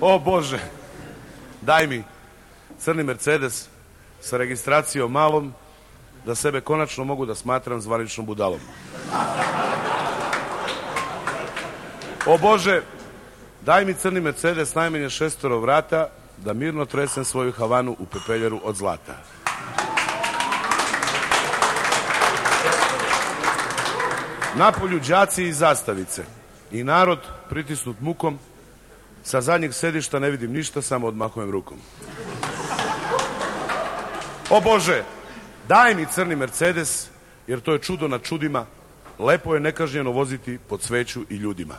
O Bože, daj mi crni Mercedes sa registracijom malom, da sebe konačno mogu da smatram zvaničnom budalom. O Bože, daj mi crni Mercedes najmanje 6 vrata, da mirno tresem svoju Havanu u pepeljeru od zlata. Napolju đaci i zastavice i narod pritisnut mukom, sa zadnjeg sedišta ne vidim ništa, samo odmahujem rukom. O Bože, daj mi crni Mercedes, jer to je čudo nad čudima, lepo je nekažnjeno voziti pod sveću i ljudima.